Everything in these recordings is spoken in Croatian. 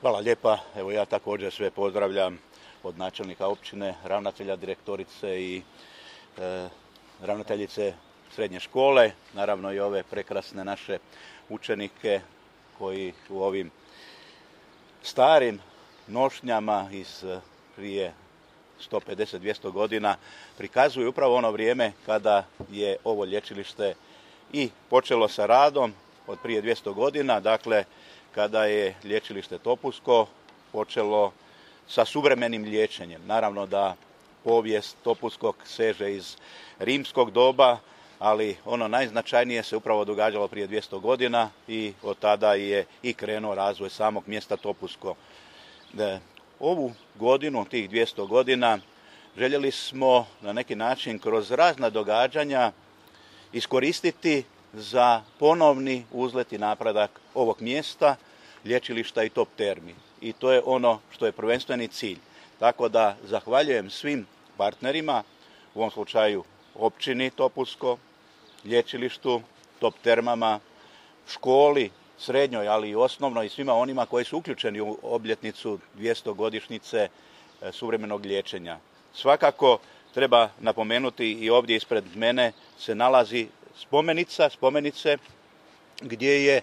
Hvala lijepa. Evo ja također sve pozdravljam od načelnika općine, ravnatelja, direktorice i ravnateljice srednje škole, naravno i ove prekrasne naše učenike koji u ovim starim nošnjama iz prije 150-200 godina prikazuju upravo ono vrijeme kada je ovo lječilište i počelo sa radom od prije 200 godina, dakle kada je lječilište Topusko počelo sa suvremenim liječenjem. Naravno da povijest Topuskog seže iz rimskog doba, ali ono najznačajnije se upravo događalo prije 200 godina i od tada je i krenuo razvoj samog mjesta Topusko. Ovu godinu, tih 200 godina, željeli smo na neki način kroz razna događanja iskoristiti za ponovni uzlet i napredak ovog mjesta, lječilišta i top termi. I to je ono što je prvenstveni cilj. Tako da zahvaljujem svim partnerima, u ovom slučaju općini Topusko, lječilištu, top termama, školi, srednjoj, ali i osnovnoj i svima onima koji su uključeni u obljetnicu 200-godišnjice suvremenog liječenja. Svakako treba napomenuti i ovdje ispred mene se nalazi spomenice gdje je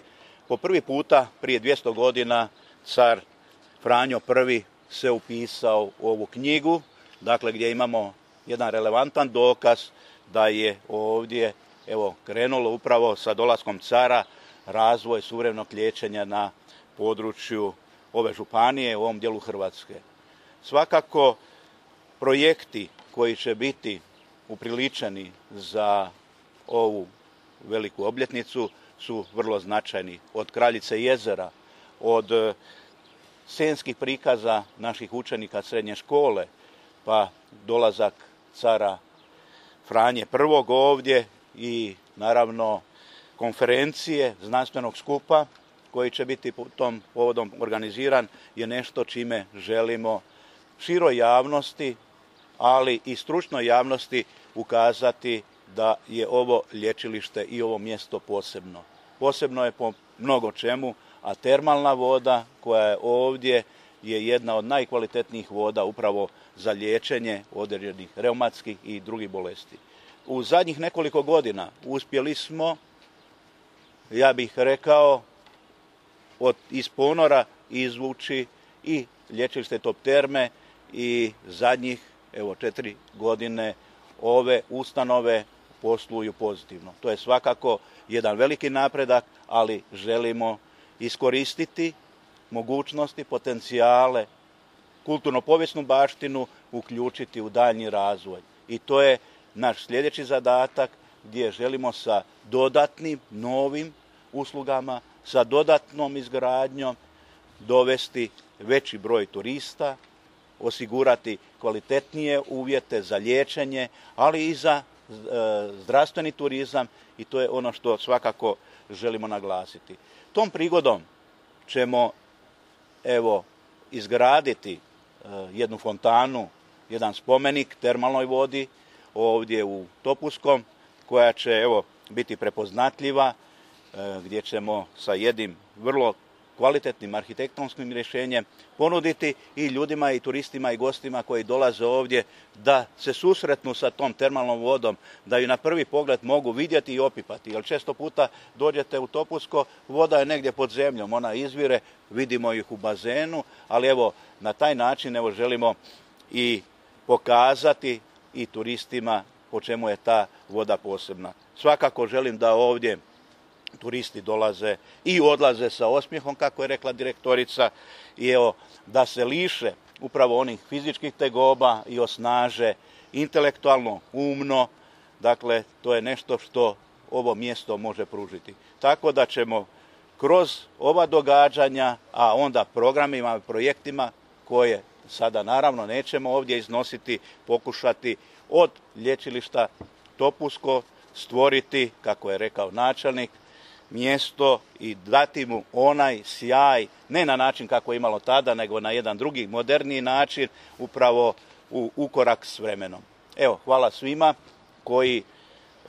po prvi puta prije 200 godina car Franjo I se upisao u ovu knjigu, dakle gdje imamo jedan relevantan dokaz da je ovdje krenulo upravo sa dolaskom cara razvoj suvremenog liječenja na području ove županije, u ovom dijelu Hrvatske. Svakako projekti koji će biti upriličeni za ovu veliku obljetnicu su vrlo značajni. Od Kraljice jezera, od scenskih prikaza naših učenika srednje škole, pa dolazak cara Franje I ovdje i naravno konferencije znanstvenog skupa koji će biti tom povodom organiziran je nešto čime želimo široj javnosti, ali i stručnoj javnosti ukazati da je ovo lječilište i ovo mjesto posebno. Posebno je po mnogo čemu, a termalna voda koja je ovdje je jedna od najkvalitetnijih voda upravo za liječenje određenih reumatskih i drugih bolesti. U zadnjih nekoliko godina uspjeli smo, ja bih rekao, iz ponora izvući i lječilište top terme i zadnjih 4 godine ove ustanove posluju pozitivno. To je svakako jedan veliki napredak, ali želimo iskoristiti mogućnosti, potencijale, kulturno-povijesnu baštinu uključiti u daljnji razvoj. I to je naš sljedeći zadatak gdje želimo sa dodatnim, novim uslugama, sa dodatnom izgradnjom dovesti veći broj turista, osigurati kvalitetnije uvjete za liječenje, ali i za zdravstveni turizam i to je ono što svakako želimo naglasiti. Tom prigodom ćemo izgraditi jednu fontanu, jedan spomenik termalnoj vodi ovdje u Topuskom koja će biti prepoznatljiva, gdje ćemo sa jednim vrlo kvalitetnim arhitektonskim rješenjem ponuditi i ljudima i turistima i gostima koji dolaze ovdje da se susretnu sa tom termalnom vodom, da ju na prvi pogled mogu vidjeti i opipati. Jer često puta dođete u Topusko, voda je negdje pod zemljom, ona izvire, vidimo ih u bazenu, ali na taj način želimo i pokazati i turistima po čemu je ta voda posebna. Svakako želim da ovdje turisti dolaze i odlaze sa osmijehom, kako je rekla direktorica, i da se liše upravo onih fizičkih tegoba i osnaže intelektualno, umno. Dakle, to je nešto što ovo mjesto može pružiti. Tako da ćemo kroz ova događanja, a onda programima, projektima koje sada naravno nećemo ovdje iznositi, pokušati od lječilišta Topusko stvoriti, kako je rekao načelnik, mjesto i dati mu onaj sjaj, ne na način kako je imalo tada, nego na jedan drugi, moderniji način, upravo u ukorak s vremenom. Hvala svima koji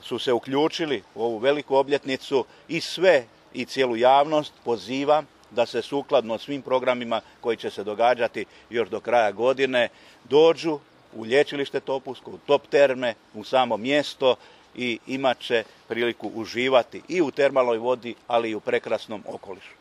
su se uključili u ovu veliku obljetnicu i sve i cijelu javnost pozivam da se sukladno svim programima koji će se događati još do kraja godine dođu u lječilište Topusko, u Top terme, u samo mjesto i imat će priliku uživati i u termalnoj vodi, ali i u prekrasnom okolišu.